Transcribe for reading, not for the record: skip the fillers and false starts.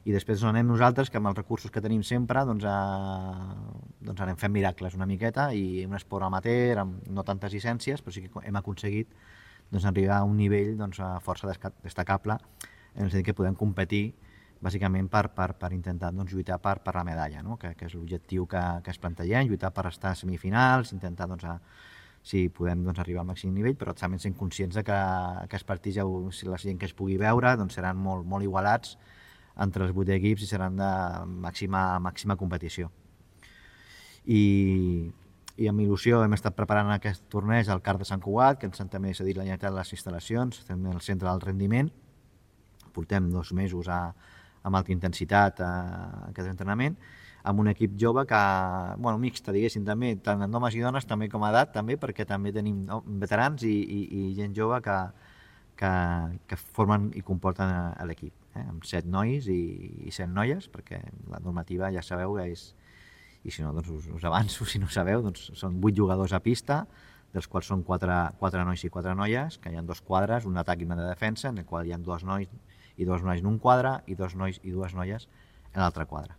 I després anem nosaltres, que amb els recursos que tenim sempre, doncs anem fent miracles una miqueta, i un esport amateur, amb no tantes llicències, però sí que hem aconseguit arribar a un nivell força destacable, en el sentit que podem competir bàsicament per intentar lluitar per la medalla, no? que és l'objectiu que es plantegem, lluitar per estar a semifinals, intentar si podem arribar al màxim nivell, però també sent conscients que els partits, si la gent que es pugui veure, seran molt igualats entre els 8 equips i seran de màxima competició. I amb il·lusió hem estat preparant aquest torneig al CAR de Sant Cugat, que ens han també cedit la Generalitat les instal·lacions, estem al centre del rendiment, portem 2 mesos amb alta intensitat a aquest entrenament, amb un equip jove que, mixta, diguéssim, també, tant en homes i dones, també com a edat, també, perquè també tenim veterans i gent jove que formen i comporten l'equip, amb 7 nois i 7 noies, perquè la normativa ja sabeu que és, i si no, us avanço, si no ho sabeu, són 8 jugadors a pista, dels quals són 4 nois i 4 noies, que hi ha 2 quadres, un d'atac i una de defensa, en el qual hi ha 2 nois i 2 nois en un quadre i 2 nois i 2 noies en l'altre quadre.